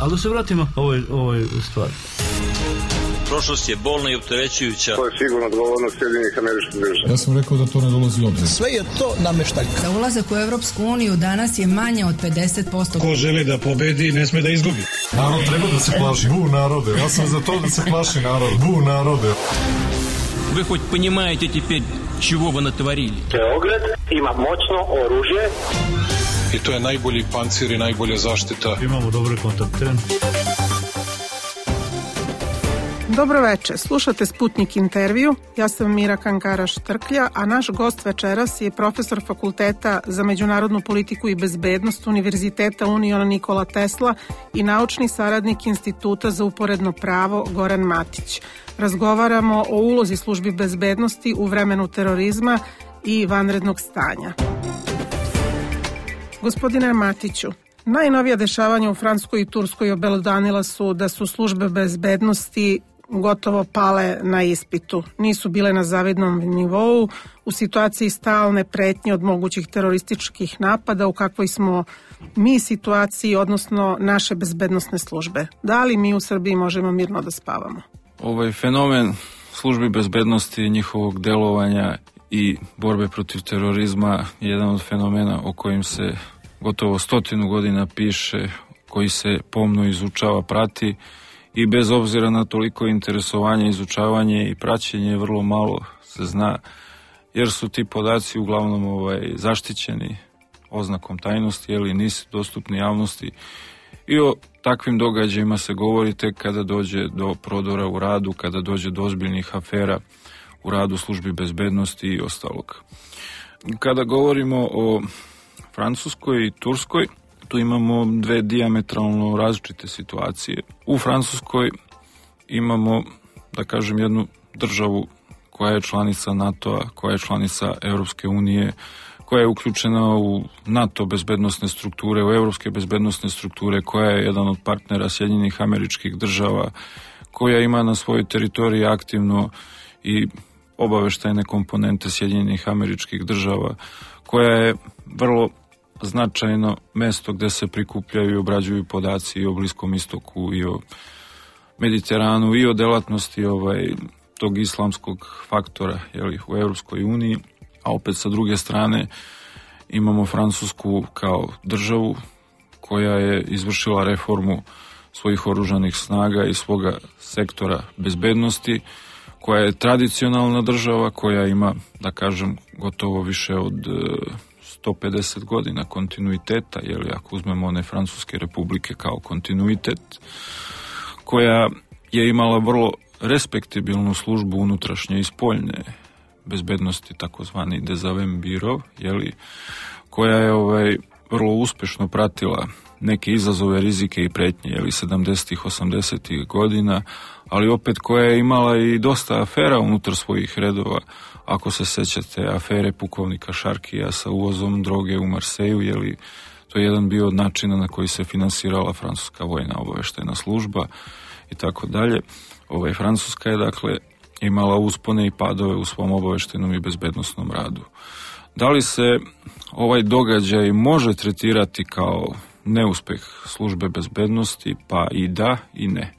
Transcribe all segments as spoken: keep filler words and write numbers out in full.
Ali da se vratimo ovoj, ovoj stvari. Prošlost je bolna i opterećujuća. To je sigurno odgovornost Sjedinjenih Američkih Država. Ja sam rekao da to ne dolazi u obzir. Sve je to nameštaljka. Za ulazak u Evropsku uniju danas je manje od pedeset posto. Ko želi da pobedi, ne sme da izgubi. Narod treba da se plaši. Bu narode. Ja sam za to da se plaši narod. Bu narode. Вы хоть понимаете теперь, чего вы натворили? Beograd ima moćno oružje. I to je najbolji pancir i najbolja zaštita. Imamo dobre kontakte. Dobro veče, slušate Sputnik intervju, ja sam Mira Kankara-Štrklja, a naš gost večeras je profesor Fakulteta za međunarodnu politiku i bezbednost Univerziteta Uniona Nikola Tesla i naučni saradnik Instituta za uporedno pravo Goran Matić. Razgovaramo o ulozi službi bezbednosti u vremenu terorizma i vanrednog stanja. Gospodine Matiću, najnovija dešavanja u Francuskoj i Turskoj obelodanila su da su službe bezbednosti gotovo pale na ispitu. Nisu bile na zavidnom nivou u situaciji stalne pretnje od mogućih terorističkih napada u kakvoj smo mi situaciji, odnosno naše bezbednosne službe. Da li mi u Srbiji možemo mirno da spavamo? Ovaj fenomen službi bezbednosti, njihovog delovanja i borbe protiv terorizma je jedan od fenomena o kojim se gotovo stotinu godina piše, koji se pomno izučava, prati i bez obzira na toliko interesovanje, izučavanje i praćenje vrlo malo se zna, jer su ti podaci uglavnom ovaj, zaštićeni oznakom tajnosti, jer nisu dostupni javnosti i o takvim događajima se govori tek kada dođe do prodora u radu, kada dođe do ozbiljnih afera u radu službi bezbednosti i ostalog. Kada govorimo o Francuskoj i Turskoj, tu imamo dve dijametralno različite situacije. U Francuskoj imamo, da kažem, jednu državu koja je članica NATO-a, koja je članica Europske unije, koja je uključena u NATO bezbednosne strukture, u europske bezbednosne strukture, koja je jedan od partnera Sjedinjenih Američkih Država, koja ima na svojoj teritoriji aktivno i obaveštajne komponente Sjedinjenih Američkih Država, koja je vrlo značajno mesto gde se prikupljaju i obrađuju podaci i o Bliskom istoku i o Mediteranu i o delatnosti ovaj, tog islamskog faktora jeli, u Europskoj uniji, a opet sa druge strane imamo Francusku kao državu koja je izvršila reformu svojih oružanih snaga i svoga sektora bezbednosti, koja je tradicionalna država, koja ima, da kažem, gotovo više od sto pedeset godina kontinuiteta, jeli, ako uzmemo one Francuske republike kao kontinuitet, koja je imala vrlo respektibilnu službu unutrašnje i spoljne bezbednosti, takozvani Dezavem Biro, jeli, koja je ovaj, vrlo uspešno pratila neke izazove, rizike i pretnje, jeli, sedamdesetih, osamdesetih godina, ali opet koja je imala i dosta afera unutar svojih redova. Ako se sećate afere pukovnika Šarkija sa uvozom droge u Marseju, jeli, to je jedan bio od načina na koji se finansirala francuska vojna obaveštajna služba i tako dalje. Ovaj, Francuska je, dakle, imala uspone i padove u svom obaveštajnom i bezbednosnom radu. Da li se ovaj događaj može tretirati kao neuspeh službe bezbednosti? Pa i da i ne.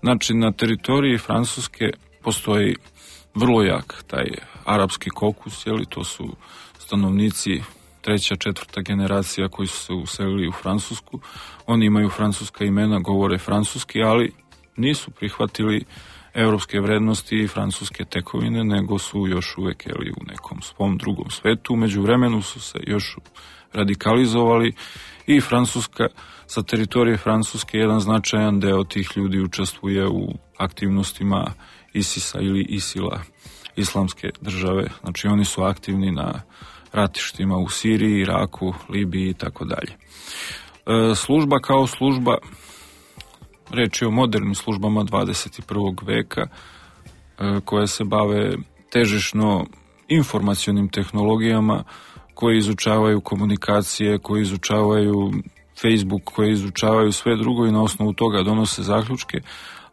Znači, na teritoriji Francuske postoji vrlo jak taj arapski kokus, jeli, to su stanovnici treća, četvrta generacija koji su se uselili u Francusku. Oni imaju francuska imena, govore francuski, ali nisu prihvatili evropske vrednosti i francuske tekovine, nego su još uvek jeli, u nekom svom drugom svetu. Među vremenu su se još radikalizovali i Francuska, sa teritorije Francuske, jedan značajan deo tih ljudi učestvuje u aktivnostima ISIS-a ili ISIL-a, islamske države. Znači oni su aktivni na ratištima u Siriji, Iraku, Libiji i tako dalje. Služba kao služba, reč je o modernim službama dvadeset i prvog veka, koje se bave težišno informacionim tehnologijama, koje izučavaju komunikacije, koje izučavaju Facebook, koje izučavaju sve drugo i na osnovu toga donose zaključke,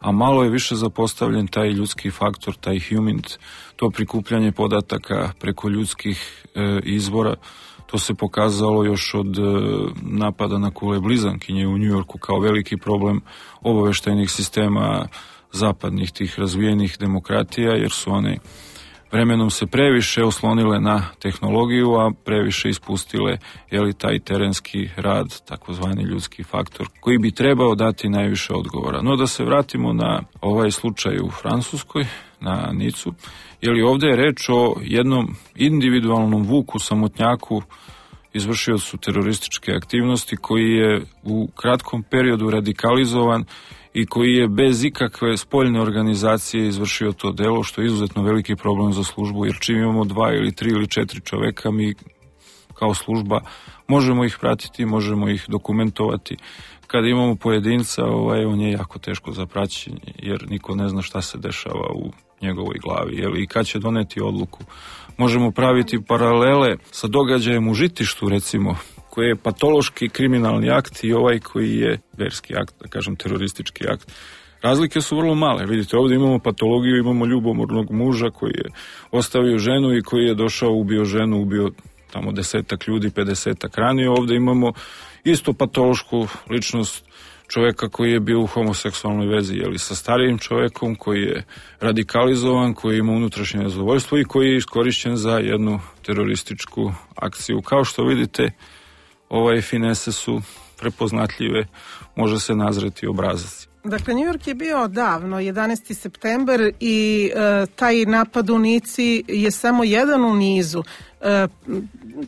a malo je više zapostavljen taj ljudski faktor, taj human, to prikupljanje podataka preko ljudskih e, izvora. To se pokazalo još od napada na kule blizankinje u Njujorku kao veliki problem obaveštajnih sistema zapadnih tih razvijenih demokratija, jer su one vremenom se previše oslonile na tehnologiju, a previše ispustile jeli, taj terenski rad, takozvani ljudski faktor, koji bi trebao dati najviše odgovora. No da se vratimo na ovaj slučaj u Francuskoj, na Nicu, jeli ovdje je reč o jednom individualnom Vuku samotnjaku, izvršiocu terorističke aktivnosti, koji je u kratkom periodu radikalizovan i koji je bez ikakve spoljne organizacije izvršio to delo, što je izuzetno veliki problem za službu, jer čim imamo dva ili tri ili četiri čoveka, mi kao služba možemo ih pratiti, možemo ih dokumentovati. Kada imamo pojedinca, ovaj, on je jako teško za praćenje, jer niko ne zna šta se dešava u njegovoj glavi, jel, i kad će doneti odluku. Možemo praviti paralele sa događajem u Žitištu, recimo, koji je patološki kriminalni akt i ovaj koji je verski akt, da kažem teroristički akt. Razlike su vrlo male. Vidite, ovdje imamo patologiju, imamo ljubomornog muža koji je ostavio ženu i koji je došao, ubio ženu, ubio tamo desetak ljudi, pedesetak ranije. Ovdje imamo isto patološku ličnost čovjeka koji je bio u homoseksualnoj vezi, jeli, sa starijim čovjekom koji je radikalizovan, koji ima unutrašnje nezadovoljstvo i koji je iskorišćen za jednu terorističku akciju. Kao što vidite, ovaj finese su prepoznatljive, može se nazreti obrazac. Dakle, New York je bio davno, jedanaesti september, i e, taj napad u Nici je samo jedan u nizu. E,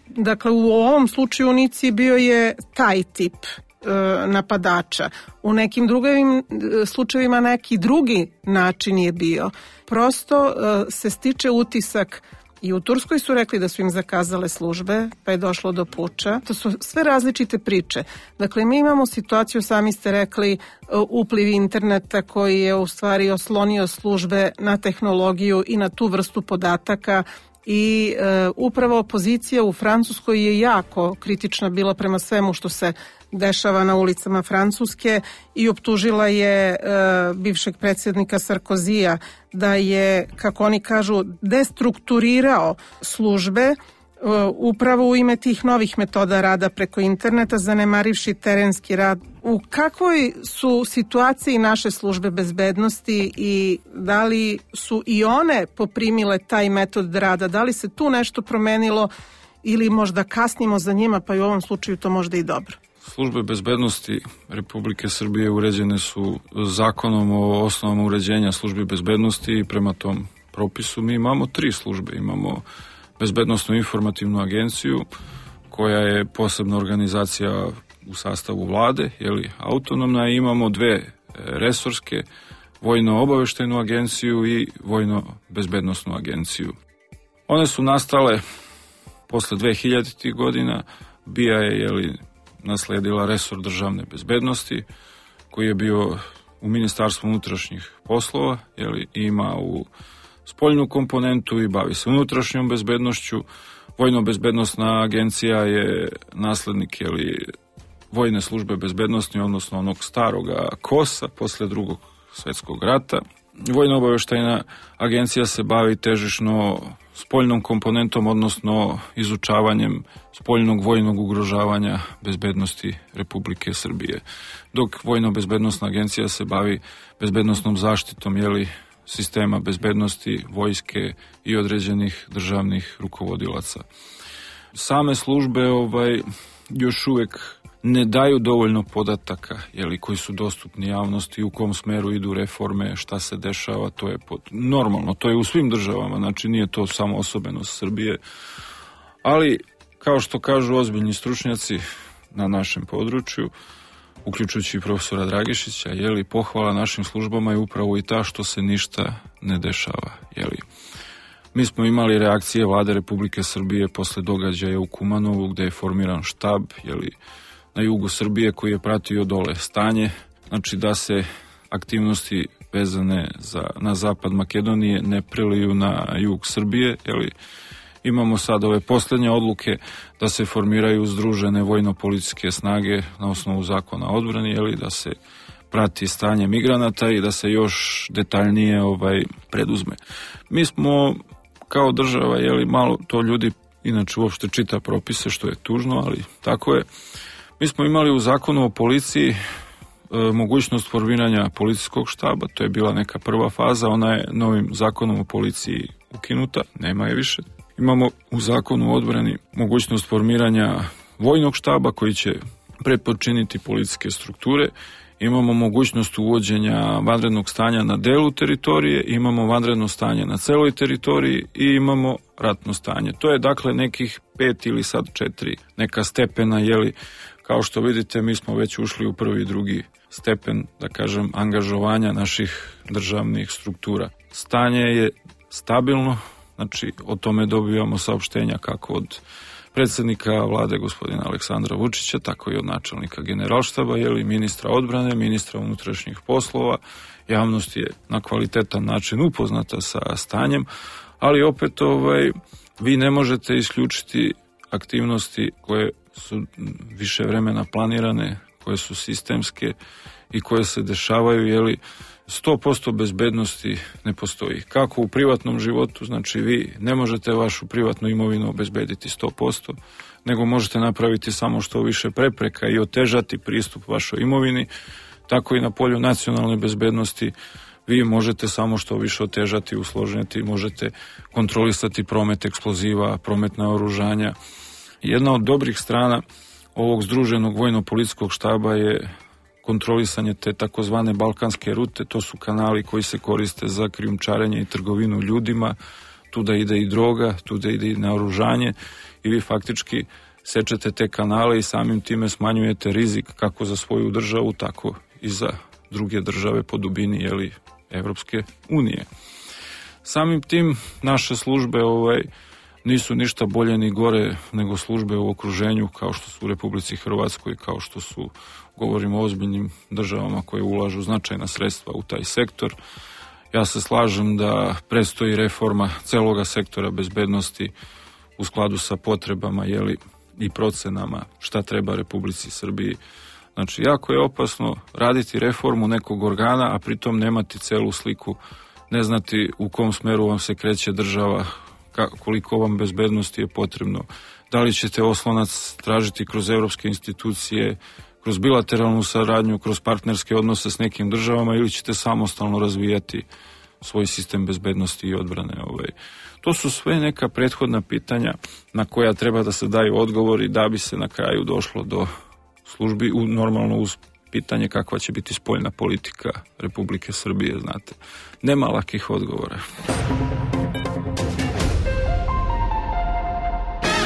dakle, u ovom slučaju u Nici bio je taj tip e, napadača. U nekim drugim e, slučajevima neki drugi način je bio. Prosto e, se stiče utisak. I u Turskoj su rekli da su im zakazale službe, pa je došlo do puča. To su sve različite priče. Dakle, mi imamo situaciju, sami ste rekli, upliv interneta koji je u stvari oslonio službe na tehnologiju i na tu vrstu podataka. I e, upravo opozicija u Francuskoj je jako kritična bila prema svemu što se dešava na ulicama Francuske i optužila je e, bivšeg predsjednika Sarkozija da je, kako oni kažu, destrukturirao službe e, upravo u ime tih novih metoda rada preko interneta, zanemarivši terenski rad. U kakvoj su situaciji naše službe bezbednosti i da li su i one poprimile taj metod rada? Da li se tu nešto promenilo ili možda kasnimo za njima, pa i u ovom slučaju to možda i dobro? Službe bezbednosti Republike Srbije uređene su zakonom o osnovama uređenja službi bezbednosti i prema tom propisu mi imamo tri službe. Imamo Bezbednosnu informativnu agenciju, koja je posebna organizacija u sastavu vlade, jeli, autonomna, i imamo dve resorske, Vojno-obaveštajnu agenciju i Vojno-bezbednosnu agenciju. One su nastale posle dvehiljaditih godina. B I A je, jeli, nasledila resor državne bezbednosti, koji je bio u Ministarstvu unutrašnjih poslova, jeli, ima u spoljnu komponentu i bavi se unutrašnjom bezbednošću. Vojno-bezbednosna agencija je naslednik, jeli, Vojne službe bezbednosti, odnosno onog staroga KOS-a posle drugog svjetskog rata. Vojno-obaveštajna agencija se bavi težišno spoljnom komponentom, odnosno izučavanjem spoljnog vojnog ugrožavanja bezbednosti Republike Srbije. Dok Vojno-bezbednosna agencija se bavi bezbednosnom zaštitom, jeli, sistema bezbednosti, vojske i određenih državnih rukovodilaca. Same službe ovaj, još uvek ne daju dovoljno podataka, jeli, koji su dostupni javnosti, u kom smeru idu reforme, šta se dešava, to je pod... normalno, to je u svim državama, znači nije to samo osobenost Srbije, ali kao što kažu ozbiljni stručnjaci na našem području, uključujući i profesora Dragišića, jeli, pohvala našim službama je upravo i ta što se ništa ne dešava, jeli. Mi smo imali reakcije Vlade Republike Srbije posle događaja u Kumanovu, gde je formiran štab, jeli, na jugu Srbije, koji je pratio dole stanje, znači da se aktivnosti vezane za, na zapad Makedonije ne preliju na jug Srbije, jeli. Imamo sad ove posljednje odluke da se formiraju združene vojno-policijske snage na osnovu zakona o odbrani, jeli, da se prati stanje migranata i da se još detaljnije ovaj preduzme. Mi smo kao država, jeli, malo to ljudi inače uopšte čita propise, što je tužno, ali tako je. Mi smo imali u zakonu o policiji e, mogućnost formiranja policijskog štaba, to je bila neka prva faza, ona je novim zakonom o policiji ukinuta, nema je više. Imamo u zakonu o odbrani mogućnost formiranja vojnog štaba koji će pretpodčiniti policijske strukture. Imamo mogućnost uvođenja vanrednog stanja na delu teritorije, imamo vanredno stanje na celoj teritoriji i imamo ratno stanje. To je dakle nekih pet ili sad četiri neka stepena, jeli, kao što vidite mi smo već ušli u prvi i drugi stepen, da kažem, angažovanja naših državnih struktura. Stanje je stabilno, znači o tome dobivamo saopštenja kako od predsjednika vlade gospodina Aleksandra Vučića, tako i od načelnika generalštaba, jeli, ministra odbrane, ministra unutrašnjih poslova. Javnost je na kvalitetan način upoznata sa stanjem, ali opet ovaj, vi ne možete isključiti aktivnosti koje su više vremena planirane, koje su sistemske i koje se dešavaju, jeli, sto posto bezbednosti ne postoji. Kako u privatnom životu, znači vi ne možete vašu privatnu imovinu obezbediti sto posto, nego možete napraviti samo što više prepreka i otežati pristup vašoj imovini, tako i na polju nacionalne bezbednosti vi možete samo što više otežati, usložiti, možete kontrolisati promet eksploziva, promet naoružanja. Jedna od dobrih strana ovog združenog vojno-policijskog štaba je kontrolisanje te takozvane balkanske rute, to su kanali koji se koriste za krijumčarenje i trgovinu ljudima, tu da ide i droga, tu da ide i naoružanje i vi faktički sečete te kanale i samim time smanjujete rizik kako za svoju državu, tako i za druge države po dubini, jeli, Evropske unije. Samim tim naše službe ovaj, nisu ništa bolje ni gore nego službe u okruženju kao što su u Republici Hrvatskoj, kao što su, govorimo o ozbiljnim državama koje ulažu značajna sredstva u taj sektor. Ja se slažem da predstoji reforma celoga sektora bezbednosti u skladu sa potrebama, jeli, i procenama šta treba Republici Srbiji. Znači, jako je opasno raditi reformu nekog organa, a pritom nemati celu sliku, ne znati u kom smeru vam se kreće država, koliko vam bezbednosti je potrebno, da li ćete oslonac tražiti kroz evropske institucije, kroz bilateralnu saradnju, kroz partnerske odnose s nekim državama ili ćete samostalno razvijati svoj sistem bezbednosti i odbrane. Ovaj. To su sve neka prethodna pitanja na koja treba da se daju odgovori da bi se na kraju došlo do službi, u, normalno uz pitanje kakva će biti spoljna politika Republike Srbije, znate. Nema lakih odgovora.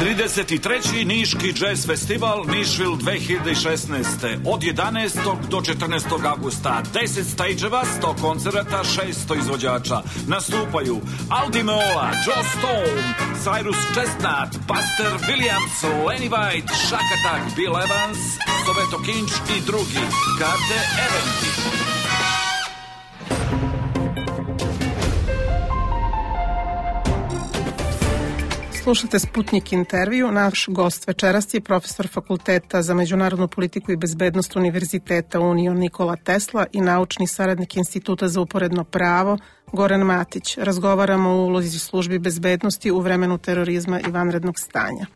trideset treći Niški jazz festival Nišvil dve hiljade šesnaeste od jedanaestog do četrnaestog avgusta. deset stageeva, sto koncerata, šesto izvođača. Nastupaju Aldi Meola, Joe Stone, Cyrus Chestnut, Buster Williams, Lenny White, Shack Attack, Bill Evans, Soveto Kinč i drugi. Karte Eventi. Slušate Sputnik intervju. Naš gost večeras je profesor Fakulteta za međunarodnu politiku i bezbednost Univerziteta Union Nikola Tesla i naučni saradnik Instituta za uporedno pravo Goran Matić. Razgovaramo o ulozi službi bezbednosti u vremenu terorizma i vanrednog stanja.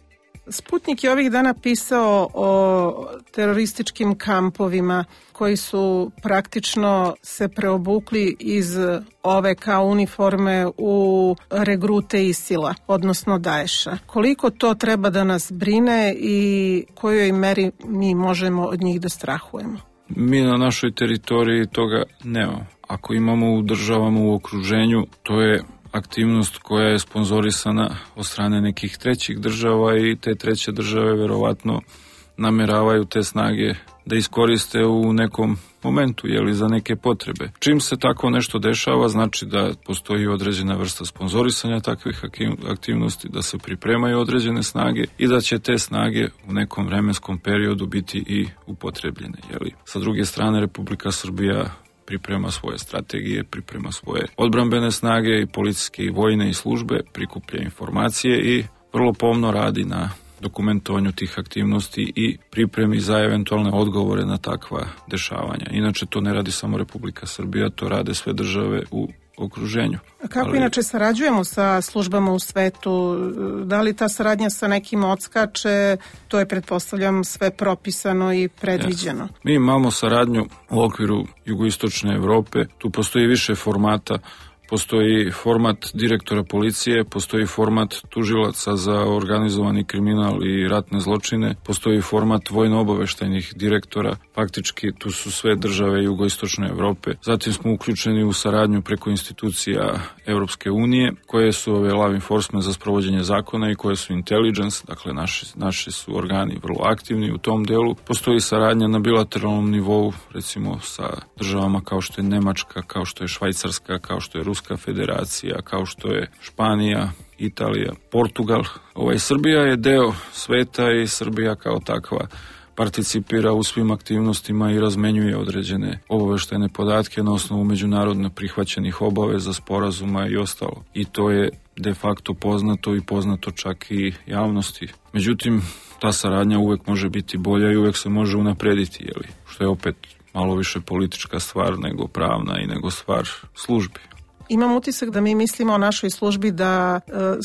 Sputnik je ovih dana pisao o terorističkim kampovima koji su praktično se preobukli iz ove kao uniforme u regrute Isila, odnosno Daesha. Koliko to treba da nas brine i kojoj meri mi možemo od njih da strahujemo? Mi na našoj teritoriji toga nemamo. Ako imamo u državama u okruženju, to je aktivnost koja je sponzorisana od strane nekih trećih država i te treće države verovatno nameravaju te snage da iskoriste u nekom momentu, jeli, za neke potrebe. Čim se tako nešto dešava, znači da postoji određena vrsta sponzorisanja takvih aktivnosti, da se pripremaju određene snage i da će te snage u nekom vremenskom periodu biti i upotrebljene. Jeli. Sa druge strane, Republika Srbija priprema svoje strategije, priprema svoje odbrambene snage i policijske i vojne i službe, prikuplja informacije i vrlo pomno radi na dokumentovanju tih aktivnosti i pripremi za eventualne odgovore na takva dešavanja. Inače, to ne radi samo Republika Srbija, to rade sve države u okruženju. A kako Ali, inače sarađujemo sa službama u svetu? Da li ta saradnja sa nekim odskače? To je, pretpostavljam, sve propisano i predviđeno. Yes. Mi imamo saradnju u okviru jugoistočne Evrope. Tu postoji više formata. Postoji format direktora policije, postoji format tužilaca za organizovani kriminal i ratne zločine, postoji format vojno-obaveštajnih direktora, faktički tu su sve države jugoistočne Evrope. Zatim smo uključeni u saradnju preko institucija Europske unije, koje su ove law enforcement za sprovođenje zakona i koje su intelligence, dakle naši, naši su organi vrlo aktivni u tom delu. Postoji saradnja na bilateralnom nivou, recimo sa državama kao što je Nemačka, kao što je Švajcarska, kao što je Ruska federacija, kao što je Španija, Italija, Portugal. Ovaj, Srbija je deo sveta i Srbija kao takva participira u svim aktivnostima i razmenjuje određene obaveštajne podatke na osnovu međunarodno prihvaćenih obaveza, sporazuma i ostalo. I to je de facto poznato i poznato čak i javnosti. Međutim, ta saradnja uvek može biti bolja i uvek se može unaprediti, jeli, što je opet malo više politička stvar nego pravna i nego stvar službi. Imam utisak da mi mislimo o našoj službi, da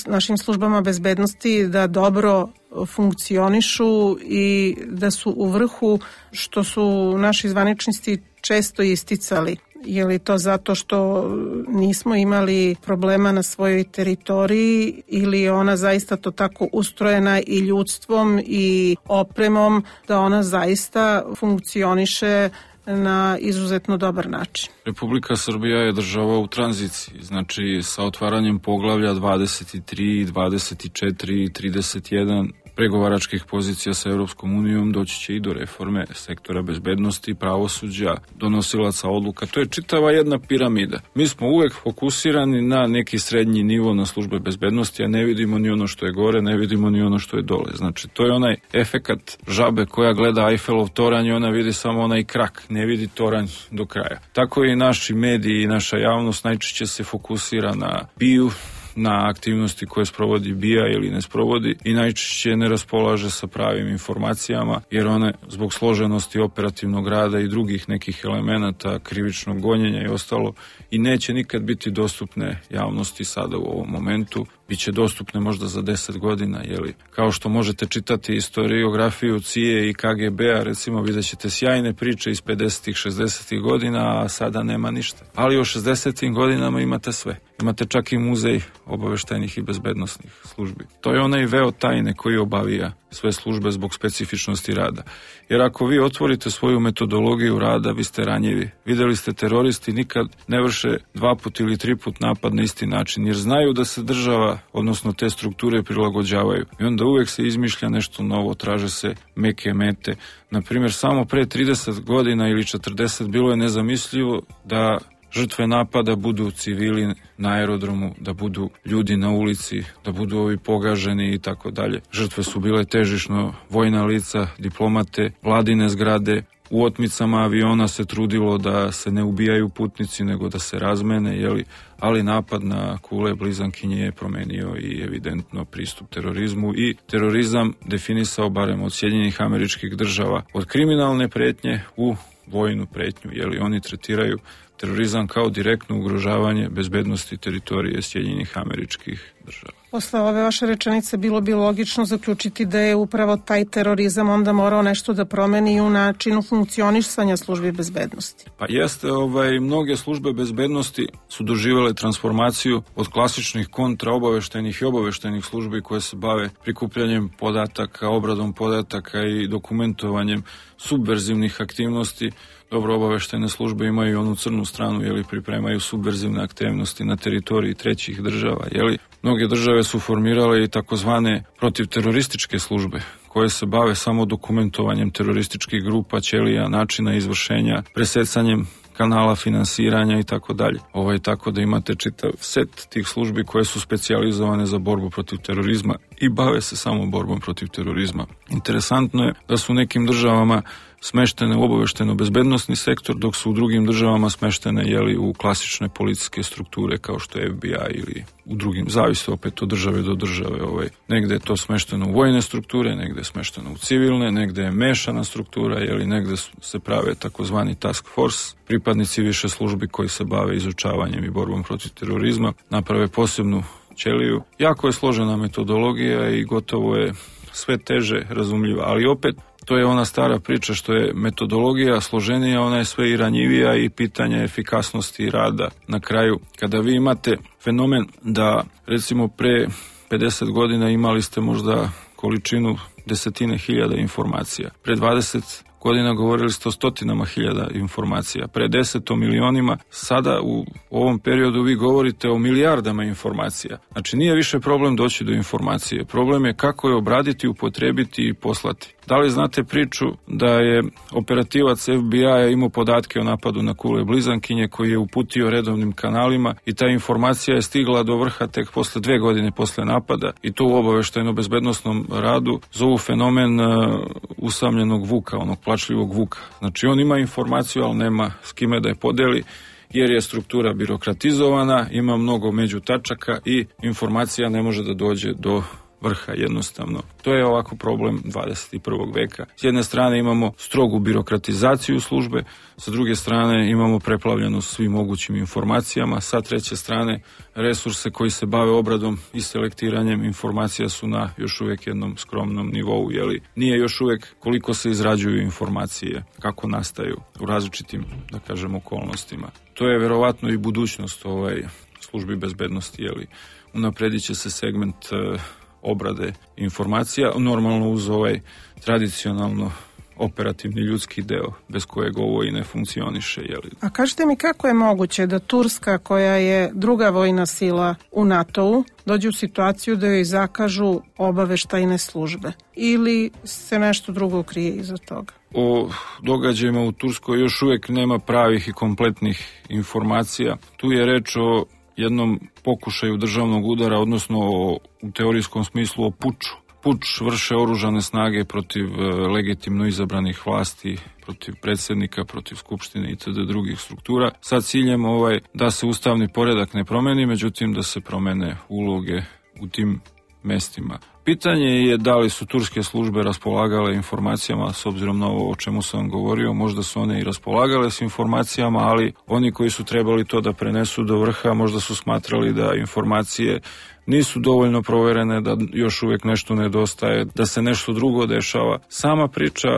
našim službama bezbednosti da dobro funkcionišu i da su u vrhu, što su naši zvaničnici često isticali. Je li to zato što nismo imali problema na svojoj teritoriji ili je ona zaista to tako ustrojena i ljudstvom i opremom da ona zaista funkcioniše na izuzetno dobar način? Republika Srbija je država u tranziciji, znači sa otvaranjem poglavlja dvadeset tri, dvadeset četiri i trideset jedan pregovaračkih pozicija sa Europskom unijom doći će i do reforme sektora bezbednosti, pravosuđa, donosilaca odluka. To je čitava jedna piramida. Mi smo uvek fokusirani na neki srednji nivo na službe bezbednosti, a ne vidimo ni ono što je gore, ne vidimo ni ono što je dole. Znači, to je onaj efekat žabe koja gleda Eiffelov toranj i ona vidi samo onaj krak, ne vidi toranj do kraja. Tako i naši mediji i naša javnost najčešće se fokusira na biju, na aktivnosti koje sprovodi B I A ili ne sprovodi i najčešće ne raspolaže sa pravim informacijama jer one zbog složenosti operativnog rada i drugih nekih elemenata krivičnog gonjenja i ostalo i neće nikad biti dostupne javnosti sada u ovom momentu. Biće dostupne možda za deset godina, jeli? Kao što možete čitati historiografiju C I A i K G B-a, recimo vidjet ćete sjajne priče iz pedesetih, šezdesetih godina, a sada nema ništa. Ali u šezdesetim godinama imate sve. Imate čak i muzej obaveštajnih i bezbednosnih službi. To je onaj veo tajne koji obavija sve službe zbog specifičnosti rada. Jer ako vi otvorite svoju metodologiju rada, vi ste ranjivi. Videli ste, teroristi nikad ne vrše dva put ili tri put napad na isti način, jer znaju da se država, odnosno te strukture prilagođavaju. I onda uvek se izmišlja nešto novo, traže se meke mete. Naprimjer, samo pre trideset godina ili četrdeset bilo je nezamislivo da žrtve napada budu civili na aerodromu, da budu ljudi na ulici, da budu ovi pogaženi i tako dalje. Žrtve su bile težišno vojna lica, diplomate, vladine zgrade. U otmicama aviona se trudilo da se ne ubijaju putnici, nego da se razmene, jeli? Ali napad na kule blizankinje je promenio i evidentno pristup terorizmu i terorizam definisao barem od Sjedinjenih Američkih Država od kriminalne pretnje u vojnu pretnju, jeli oni tretiraju terorizam kao direktno ugrožavanje bezbednosti teritorije Sjedinjenih Američkih Država. Posle ove vaše rečenice bilo bi logično zaključiti da je upravo taj terorizam onda morao nešto da promeni u načinu funkcionisanja službi bezbednosti. Pa jeste, ovaj, mnoge službe bezbednosti su doživjele transformaciju od klasičnih kontraobaveštajnih i obaveštajnih službi koje se bave prikupljanjem podataka, obradom podataka i dokumentovanjem subverzivnih aktivnosti. Dobro, obaveštajne službe imaju i onu crnu stranu, jeli pripremaju subverzivne aktivnosti na teritoriji trećih država, jeli. Mnoge države su formirale i takozvane protivterorističke službe koje se bave samo dokumentovanjem terorističkih grupa, ćelija, načina izvršenja, presecanjem kanala finansiranja i tako dalje. Ovo je tako da imate čitav set tih službi koje su specijalizovane za borbu protiv terorizma i bave se samo borbom protiv terorizma. Interesantno je da su u nekim državama smeštene u obavešteno-bezbednosni sektor, dok su u drugim državama smeštene jeli, u klasične policijske strukture kao što je F B I ili u drugim, zavisi opet od države do države. Ovaj. Negde je to smešteno u vojne strukture, negde je smešteno u civilne, negde je mešana struktura, jeli, negde se prave takozvani task force, pripadnici više službi koji se bave izučavanjem i borbom protiv terorizma, naprave posebnu ćeliju. Jako je složena metodologija i gotovo je sve teže razumljiva, ali opet to je ona stara priča što je metodologija složenija, ona je sve i ranjivija i pitanje efikasnosti rada. Na kraju, kada vi imate fenomen da recimo pre pedeset godina imali ste možda količinu desetine hiljada informacija, pre dvadeset godina govorili ste o stotinama hiljada informacija, pre deset o milionima, sada u ovom periodu vi govorite o milijardama informacija. Znači nije više problem doći do informacije, problem je kako je obraditi, upotrebiti i poslati. Da li znate priču da je operativac F B I-a imao podatke o napadu na Kule Blizankinje koji je uputio redovnim kanalima i ta informacija je stigla do vrha tek posle dve godine posle napada i to u obaveštajno-bezbednosnom radu zovu fenomen uh, usamljenog vuka, onog plačljivog vuka. Znači on ima informaciju, ali nema s kime da je podeli jer je struktura birokratizovana, ima mnogo međutačaka i informacija ne može da dođe do vrha jednostavno. To je ovako problem dvadeset i prvog veka. S jedne strane imamo strogu birokratizaciju službe, sa druge strane imamo preplavljenost svim mogućim informacijama, sa treće strane resurse koji se bave obradom i selektiranjem informacija su na još uvijek jednom skromnom nivou, jeli nije još uvijek koliko se izrađuju informacije, kako nastaju u različitim, da kažem, okolnostima. To je verovatno i budućnost ovaj službi bezbednosti, jeli unapredit će se segment uh, obrade informacija, normalno uz ovaj tradicionalno operativni ljudski deo, bez kojeg ovo i ne funkcioniše. Jeli. A kažete mi kako je moguće da Turska, koja je druga vojna sila u NATO-u, dođe u situaciju da joj zakažu obaveštajne službe? Ili se nešto drugo krije iza toga? O događajima u Turskoj još uvijek nema pravih i kompletnih informacija. Tu je reč o jednom pokušaju državnog udara, odnosno o, u teorijskom smislu o puču. Puč vrše oružane snage protiv e, legitimno izabranih vlasti, protiv predsjednika, protiv skupštine itd. Drugih struktura, sa ciljem ovaj, da se ustavni poredak ne promeni, međutim da se promene uloge u tim mestima. Pitanje je da li su turske službe raspolagale informacijama, s obzirom na ovo o čemu sam govorio, možda su one i raspolagale s informacijama, ali oni koji su trebali to da prenesu do vrha, možda su smatrali da informacije nisu dovoljno proverene, da još uvijek nešto nedostaje, da se nešto drugo dešava. Sama priča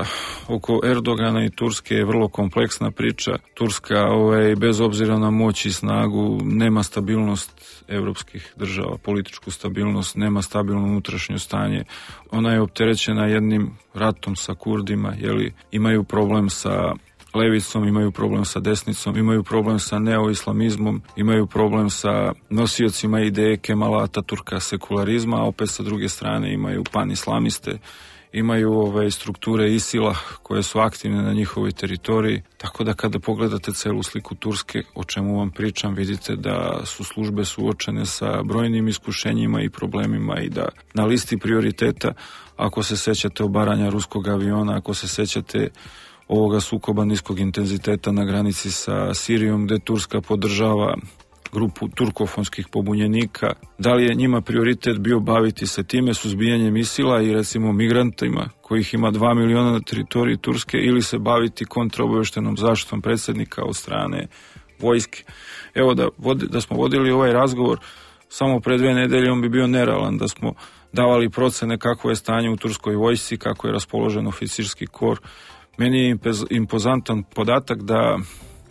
oko Erdogana i Turske je vrlo kompleksna priča. Turska, ovaj, bez obzira na moć i snagu, nema stabilnost evropskih država, političku stabilnost, nema stabilno unutrašnje stanje. Ona je opterećena jednim ratom sa Kurdima, jeli, imaju problem sa levicom, imaju problem sa desnicom, imaju problem sa neoislamizmom, imaju problem sa nosiocima ideje Kemala Ataturka sekularizma, a opet sa druge strane imaju panislamiste, imaju ove strukture Isila koje su aktivne na njihovoj teritoriji, tako da kada pogledate celu sliku Turske, o čemu vam pričam, vidite da su službe suočene sa brojnim iskušenjima i problemima i da na listi prioriteta, ako se sećate obaranja ruskog aviona, ako se sećate ovoga sukoba niskog intenziteta na granici sa Sirijom, gde Turska podržava grupu turkofonskih pobunjenika, da li je njima prioritet bio baviti se time, suzbijanjem Isila i recimo migrantima, kojih ima dva miliona na teritoriji Turske, ili se baviti kontraobaveštenom zaštitom predsjednika od strane vojske. Evo da, vodi, da smo vodili ovaj razgovor samo pre dve nedelje, on bi bio nerealan, da smo davali procene kako je stanje u turskoj vojsci, kako je raspoložen oficirski kor. Meni je impozantan podatak da,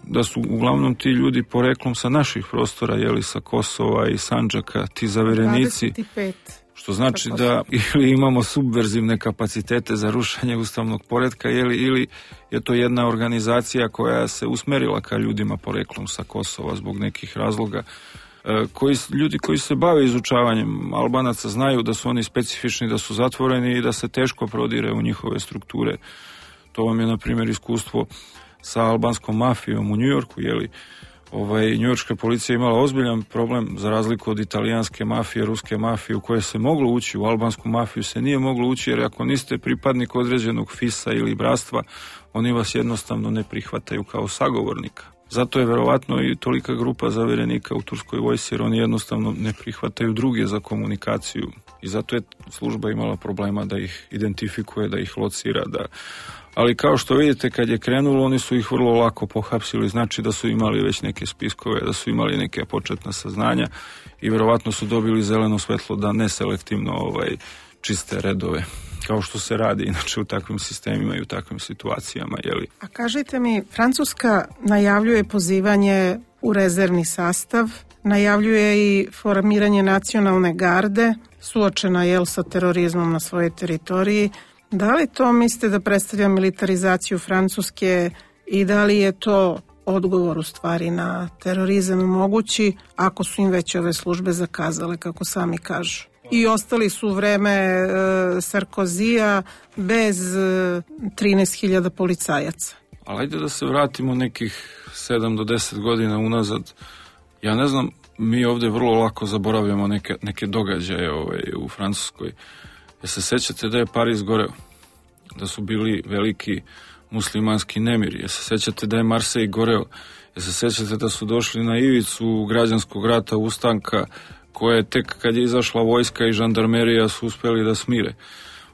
da su uglavnom ti ljudi poreklom sa naših prostora, jeli sa Kosova i Sandžaka, ti zaverenici, dvadeset pet što znači da ili imamo subverzivne kapacitete za rušenje ustavnog poretka, jeli, ili je to jedna organizacija koja se usmerila ka ljudima poreklom sa Kosova zbog nekih razloga. Koji, ljudi koji se bave izučavanjem Albanaca znaju da su oni specifični, da su zatvoreni i da se teško prodire u njihove strukture. To vam je, na primjer, iskustvo sa albanskom mafijom u Njujorku, jeli, ovaj, njujorška policija imala ozbiljan problem za razliku od italijanske mafije, ruske mafije u koje se moglo ući, u albansku mafiju se nije moglo ući, jer ako niste pripadnik određenog fisa ili bratstva, oni vas jednostavno ne prihvataju kao sagovornika. Zato je verovatno i tolika grupa zaverenika u turskoj vojsci, jer oni jednostavno ne prihvataju druge za komunikaciju i zato je služba imala problema da ih identifikuje, da ih locira, da... Ali kao što vidite, kad je krenulo, oni su ih vrlo lako pohapsili, znači da su imali već neke spiskove, da su imali neke početna saznanja i verovatno su dobili zeleno svetlo da neselektivno ovaj, čiste redove, kao što se radi inače u takvim sistemima i u takvim situacijama. Jeli? A kažite mi, Francuska najavljuje pozivanje u rezervni sastav, najavljuje i formiranje nacionalne garde, suočena jel sa terorizmom na svojoj teritoriji. Da li to mislite da predstavlja militarizaciju Francuske i da li je to odgovor u stvari na terorizam mogući ako su im već ove službe zakazale, kako sami kažu? I ostali su u vreme e, Sarkozija bez e, trinaest hiljada policajaca. Ali ajde da se vratimo nekih sedam do deset godina unazad. Ja ne znam, mi ovdje vrlo lako zaboravljamo neke, neke događaje ovaj, u Francuskoj. Ja se sećate da je Pariz goreo, da su bili veliki muslimanski nemiri. Ja se sećate da je Marsej goreo. Ja se sećate da su došli na ivicu građanskog rata, ustanka, koje tek kad je izašla vojska i žandarmerija su uspjeli da smire.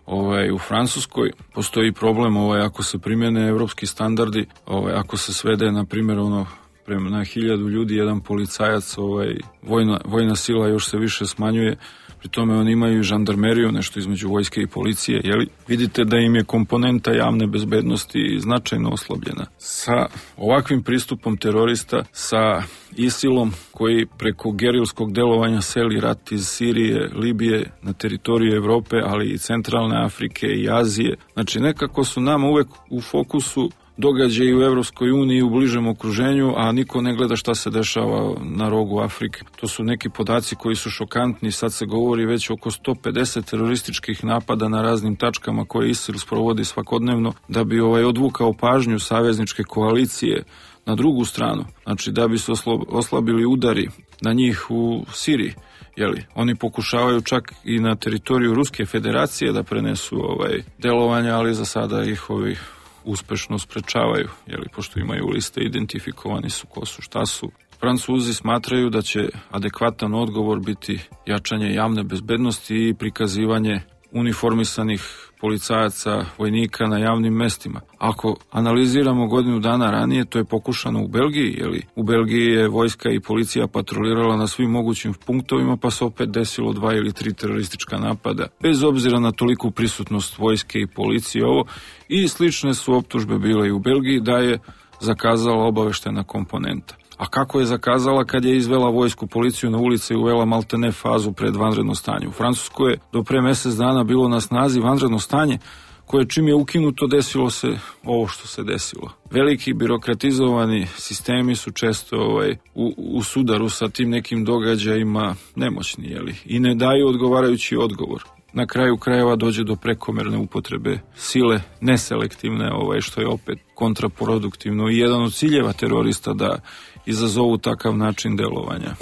Ovaj, u Francuskoj postoji problem ovaj, ako se primjene evropski standardi, ovaj, ako se svede, na primjer, ono, prema na hiljadu ljudi, jedan policajac, ovaj, vojna, vojna sila još se više smanjuje, pri tome oni imaju i žandarmeriju, nešto između vojske i policije, jeli? Vidite da im je komponenta javne bezbednosti značajno oslabljena. Sa ovakvim pristupom terorista, sa ISIL-om koji preko gerilskog delovanja seli rat iz Sirije, Libije na teritoriju Evrope, ali i centralne Afrike i Azije. Znači nekako su nama uvek u fokusu događaji u Evropskoj uniji u bližem okruženju, a niko ne gleda šta se dešava na rogu Afrike. To su neki podaci koji su šokantni. Sad se govori već oko sto pedeset terorističkih napada na raznim tačkama koje ISIL sprovodi svakodnevno da bi ovaj odvukao pažnju savezničke koalicije na drugu stranu. Znači da bi se oslabili udari na njih u Siriji. Jeli, oni pokušavaju čak i na teritoriju Ruske federacije da prenesu ovaj delovanja, ali za sada ih ovi uspešno sprečavaju, jeli, pošto imaju liste, identifikovani su ko su, šta su. Francuzi smatraju da će adekvatan odgovor biti jačanje javne bezbednosti i prikazivanje uniformisanih policajaca, vojnika na javnim mestima. Ako analiziramo godinu dana ranije, to je pokušano u Belgiji, jeli, u Belgiji je vojska i policija patrolirala na svim mogućim punktovima, pa se opet desilo dva ili tri teroristička napada, bez obzira na toliku prisutnost vojske i policije ovo, i slične su optužbe bile i u Belgiji da je zakazala obaveštena komponenta. A kako je zakazala kad je izvela vojsku, policiju na ulice i uvela maltene fazu pred vanredno stanje? U Francuskoj je do pre mjesec dana bilo na snazi vanredno stanje, koje čim je ukinuto desilo se ovo što se desilo. Veliki birokratizovani sistemi su često ovaj, u, u sudaru sa tim nekim događajima nemoćni, jeli, i ne daju odgovarajući odgovor. Na kraju krajeva dođe do prekomerne upotrebe sile, neselektivne, ovaj, što je opet kontraproduktivno i jedan od ciljeva terorista da izazovu takav način delovanja.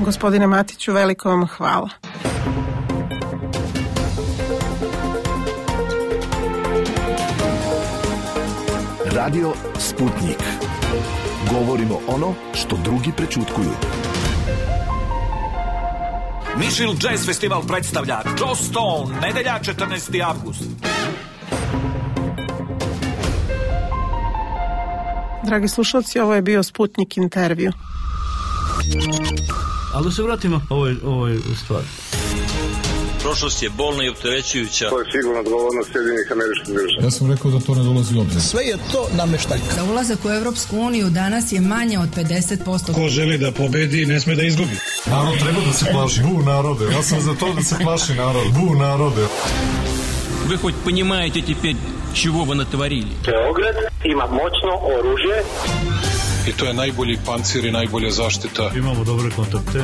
Gospodine Matiću, veliko vam hvala. Radio Sputnik. Govorimo ono što drugi prećutkuju. Mišil Jazz Festival predstavlja Joe Stone, nedelja četrnaesti avgust. Dragi slušalci, ovo je bio Sputnik intervju. Ali da se vratimo ovoj, ovoj stvari. Prošlost je bolna i opterećujuća. To je sigurno odgovornost Sjedinjenih Američkih Država. Ja sam rekao da to ne dolazi u obzir. Sve je to nameštaljka. Za ulazak u Evropsku uniju danas je manje od pedeset posto. Ko želi da pobedi, ne sme da izgubi. Narod treba da se plaši. Bu narode. Ja sam za to da se plaši narod. Bu narode. Вы хоть понимаете теперь, чего вы натворили? Beograd ima moćno oružje. I to je najbolji pancir i najbolja zaštita. Imamo dobre kontakte.